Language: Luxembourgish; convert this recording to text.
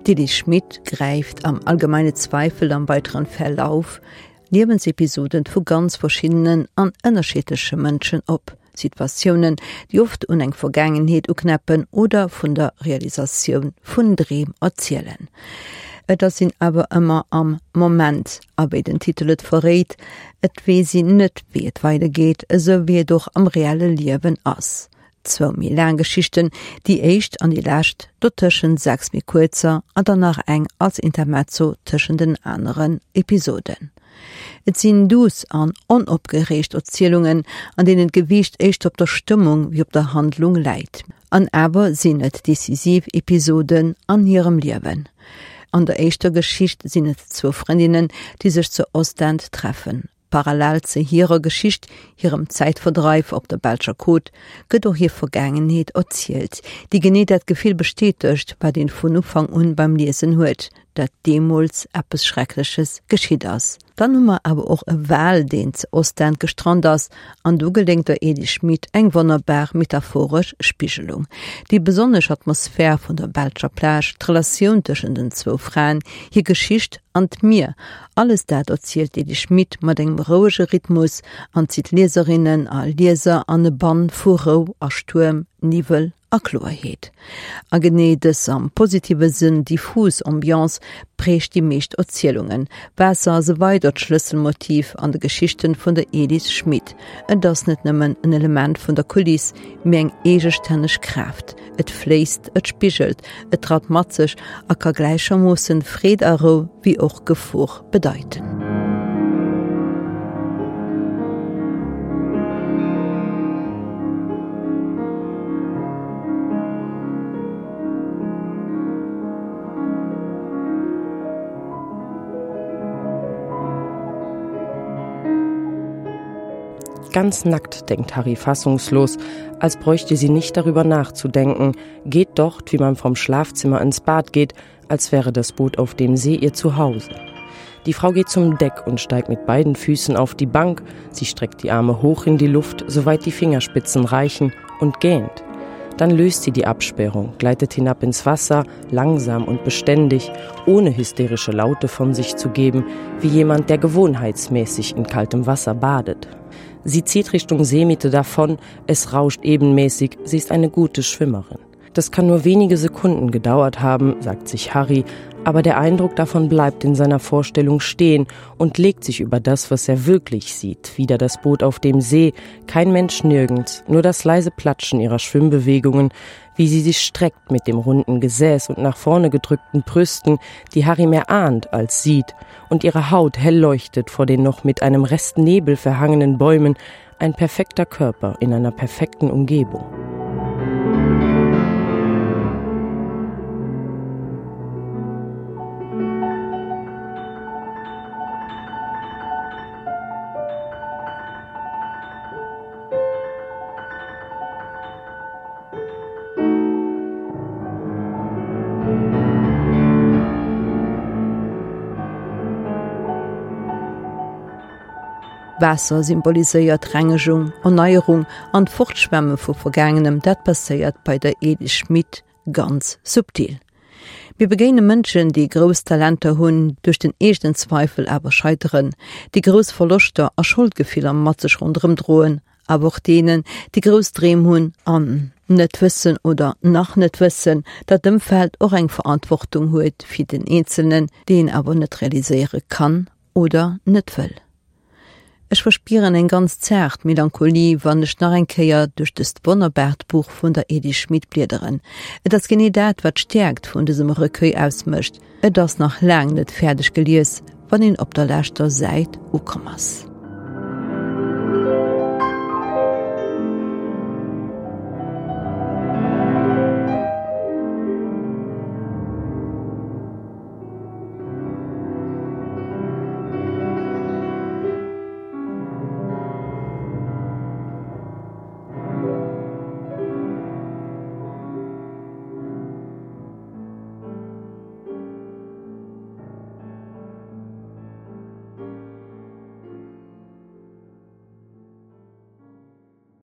D'Elise Schmit gräift am Allgemeine Zweifel am weiteren Verlauf Liewensepisoden vu ganz verschiddenen an ënnerschiddleche Mënschen op, Situatiounen, déi oft un eng Vergaangenheet uknäppen oder vun der Realisatioun vun Dreem erzielen. Et ass een awer ëmmer am Moment, a wéi den Titel et verréit, et weess een net, wéi et weidergeet, esou wéi et och am reelle Liewen ass. Zwou méi laang Geschichten, déi éischt an déi lescht, dotëschent 6 méi kuerzer an dann nach eng als Intermezzo tëschent den aneren Episoden. Et sinn duuss an onopgereegt Erzielungen, an deenen d'Gewiicht éischter op der Stëmmung wéi op der Handlung läit. An awer sinn et decisiv Episoden an hirem Liewen. An der éischter Geschicht sinn et zwou Frëndinnen, déi sech zu Ostend treffen. Parallel ze hirer Geschicht, hirem Zäitverdreif op der belscher Côte, gëtt och hir Vergaangenheet erzielt, déi genee dat Gefill bestätegt, wat een vun Ufank un beim Liesen huet, dat deemools eppes Schreckleches geschitt ass. Dann hu mer awer och e Wal, deen ze Ostend gestrant ass, an do geléngt der Edy Schmit eng wonnerbar metaphoresch Spigelung. Déi besonnesch Atmosphär vun der belscher Plage, d'Relatioun tëschent den zwou Fraen, hir Geschicht an d'Mier, Alles dat erzielt d'Edy Schmit mat engem rouege Rhythmus an zitt Lieserinnen a Lieser an e Bann vu Rou a Stuerm, Niwwel a Kloerheet. A genee dës am positive Sënn diffus Ambiance prägt déi meescht Erzielungen. Waasser ass e weidert Schlësselmotiv an de Geschichten vun der Edith Schmit. Et ass net nëmmen en Element vun der Kuliss, mee eng eegestänneg Kraaft. Et fléisst, et spigelt, et drat mat sech a ka gläichermoossen Freed a Rou wéi och Gefor bedeiten. Ganz nackt, denkt Harry fassungslos, als bräuchte sie nicht darüber nachzudenken, geht dort, wie man vom Schlafzimmer ins Bad geht, als wäre das Boot auf dem See ihr Zuhause. Die Frau geht zum Deck und steigt mit beiden Füßen auf die Bank, sie streckt die Arme hoch in die Luft, soweit die Fingerspitzen reichen und gähnt. Dann löst sie die Absperrung, gleitet hinab ins Wasser, langsam und beständig, ohne hysterische Laute von sich zu geben, wie jemand, der gewohnheitsmäßig in kaltem Wasser badet. Sie zieht Richtung Seemitte davon, es rauscht ebenmäßig, sie ist eine gute Schwimmerin. Das kann nur wenige Sekunden gedauert haben, sagt sich Harry, aber der Eindruck davon bleibt in seiner Vorstellung stehen und legt sich über das, was er wirklich sieht. Wieder das Boot auf dem See, kein Mensch nirgends, nur das leise Platschen ihrer Schwimmbewegungen, wie sie sich streckt mit dem runden Gesäß und nach vorne gedrückten Brüsten, die Harry mehr ahnt als sieht, und ihre Haut hell leuchtet vor den noch mit einem Rest Nebel verhangenen Bäumen, ein perfekter Körper in einer perfekten Umgebung. Waasser symboliséiert Rengegung, Erneierung an d'Fortschwemme vu Vergaangenem. Dat passéiert bei der Edith Schmit ganz subtil. Mir begéine Mënschen, déi grouss Talenter hunn, duerch den eegenen Zweifel awer scheiteren, déi grouss Verloschter a Scholdgefiller mat sech ronderëm droen, awer och deenen, déi grouss Dreem hunn an net wëssen oder nach net wëssen, datt d'Ëmfeld och eng Verantwortung huet fir den Eenzelnen, déi een awer net realiséiere kann oder net wëll. Ech verspieren eng ganz zaart Melancholie, wann ech nach eng Kéier duerch dëst wonnerbaart Buch vun der Edith Schmit bliederen. Et ass genee dat, wat d'Stäerkt vun dësem Recueil ausmécht, Et ass nach laang net fäerdeg gelies, wann een op der leschter Säit ukomm ass.